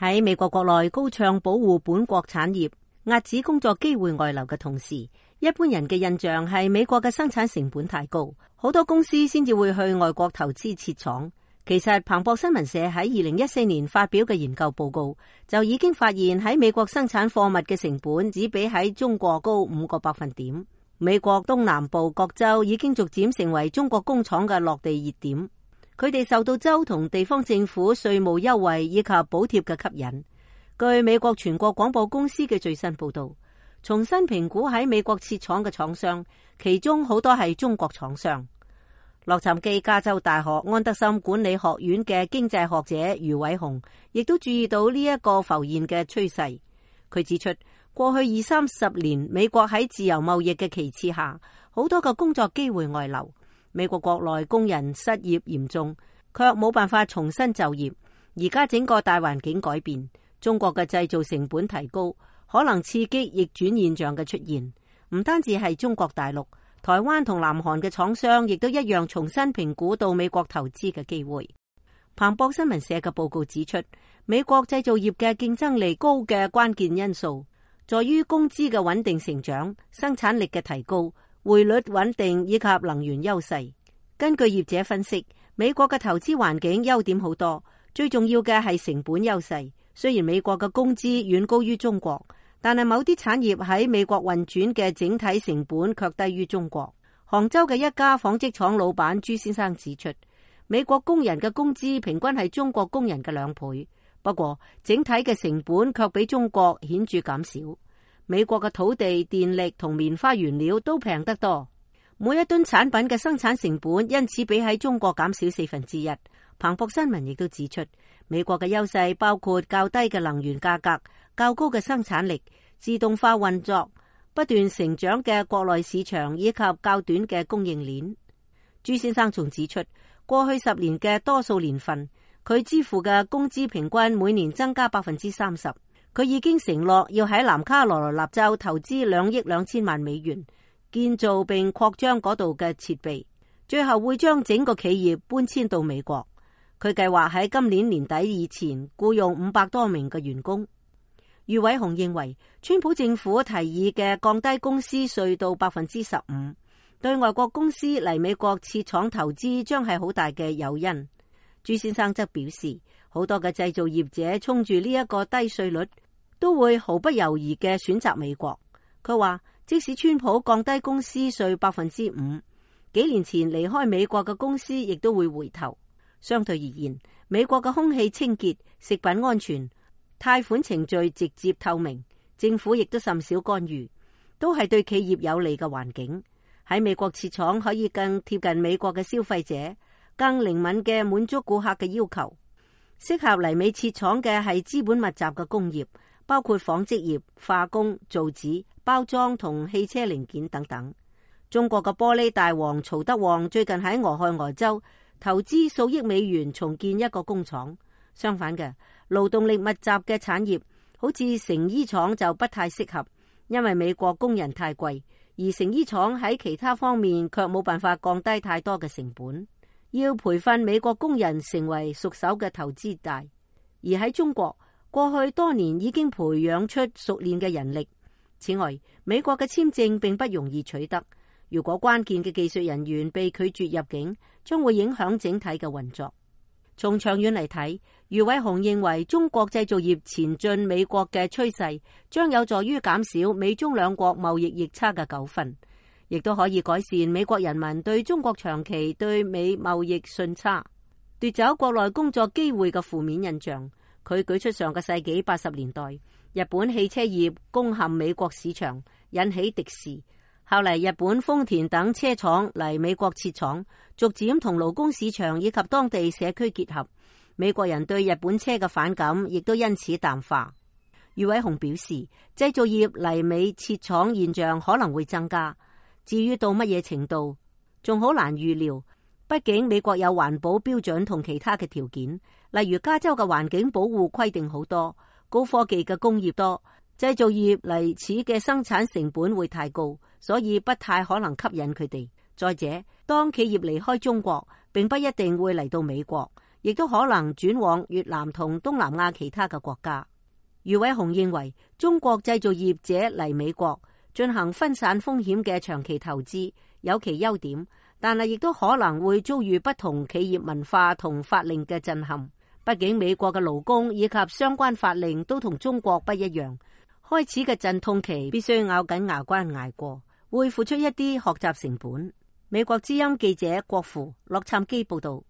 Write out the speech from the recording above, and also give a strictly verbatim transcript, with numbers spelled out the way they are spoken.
喺美國國內高唱保護本國產業、遏止工作機會外流嘅同時，一般人嘅印象係美國嘅生產成本太高，好多公司先至會去外國投資設廠。其實彭博新聞社喺二零一四年發表嘅研究報告就已經發現，喺美國生產貨物嘅成本只比喺中國高五個百分點。美國東南部各州已經逐漸成為中國工廠嘅落地熱點，佢哋受到州同地方政府稅務優惠以及補貼嘅吸引。據美國全國廣播公司嘅最新報道，重新評估喺美國設廠嘅廠商，其中好多係中國廠商。洛杉磯加州大學安德森管理學院嘅經濟學者余偉雄亦都注意到呢一個浮現嘅趨勢。佢指出，過去二三十年，美國喺自由貿易嘅旗幟下，好多個工作機會外流。美國國內工人失業嚴重，卻冇辦法重新就業。而家整個大環境改變，中國嘅製造成本提高，可能刺激逆轉現象嘅出現。唔單止係中國大陸，台灣同南韓嘅廠商亦都一樣重新評估到美國投資嘅機會。彭博新聞社嘅報告指出，美國製造業嘅競爭力高嘅關鍵因素在於工資嘅穩定成長、生產力嘅提高、匯率穩定以及能源優勢。根據業者分析，美國嘅投資環境優點好多，最重要嘅係成本優勢。雖然美國嘅工資遠高於中國，但係某啲產業喺美國運轉嘅整體成本卻低於中國。杭州嘅一家紡織廠老闆朱先生指出，美國工人嘅工資平均係中國工人嘅兩倍，不過整體嘅成本卻比中國顯著減少。美國嘅土地、電力同棉花原料都平得多，每一噸產品嘅生產成本因此比喺中國減少四分之一。彭博新聞亦都指出，美國嘅優勢包括較低嘅能源價格、較高嘅生產力、自動化運作、不斷成長嘅國內市場以及較短嘅供應鏈。朱先生仲指出，過去十年嘅多數年份，佢支付嘅工資平均每年增加百分之三十。佢已經承諾要喺南卡羅來納州投資兩億兩千萬美元，建造並擴張嗰度嘅設備，最後會將整個企業搬遷到美國。佢計劃喺今年年底以前僱用五百多名嘅員工。余偉雄認為，川普政府提議嘅降低公司稅到百分之十五，對外國公司嚟美國設廠投資將係好大嘅誘因。朱先生則表示，好多嘅製造業者衝住呢一個低稅率，都會毫不猶豫嘅選擇美國。佢話，即使川普降低公司稅百分之五，幾年前離開美國嘅公司亦都會回頭。相對而言，美國嘅空氣清潔、食品安全、貸款程序直接透明，政府亦都甚少干預，都係對企業有利嘅環境。喺美國設廠可以更貼近美國嘅消費者，更靈敏嘅滿足顧客嘅要求。適合嚟美設廠嘅係資本密集嘅工業，包括紡織業、化工、造紙、包裝同汽車零件等等。中國嘅玻璃大王曹德旺最近喺俄亥俄州投資數億美元重建一個工廠。相反嘅，勞動力密集嘅產業，好似成衣廠就不太適合，因為美國工人太貴，而成衣廠喺其他方面卻冇辦法降低太多嘅成本。要培訓美國工人成為熟手嘅投資大，而喺中國過去多年已經培養出熟練嘅人力。此外，美國嘅簽證並不容易取得，如果關鍵嘅技術人員被拒絕入境，將會影響整體嘅運作。從長遠嚟睇，余偉雄認為中國製造業前進美國嘅趨勢將有助於減少美中兩國貿易逆差嘅糾紛，亦都可以改善美國人民對中國長期對美貿易順差、奪走國內工作機會嘅負面印象。佢舉出上個世紀八十年代日本汽車業攻陷美國市場，引起敵視。後嚟日本豐田等車廠嚟美國設廠，逐漸同勞工市場以及當地社區結合，美國人對日本車嘅反感亦都因此淡化。余偉雄表示，製造業嚟美設廠現象可能會增加，至於到乜嘢程度，仲好難預料。畢竟美國有環保標準同其他嘅條件，例如加州嘅環境保護規定好多，高科技嘅工業多，製造業嚟此嘅生產成本會太高，所以不太可能吸引佢哋。再者，當企業離開中國，並不一定會嚟到美國，亦都可能轉往越南同東南亞其他嘅國家。余偉雄認為，中國製造業者嚟美國進行分散風險嘅長期投資有其優點，但係亦都可能會遭遇不同企業文化同法令嘅震撼。畢竟美國嘅勞工以及相關法令都同中國不一樣，開始嘅陣痛期必須咬緊牙關捱過，會付出一啲學習成本。美國之音記者郭芙洛杉磯報道。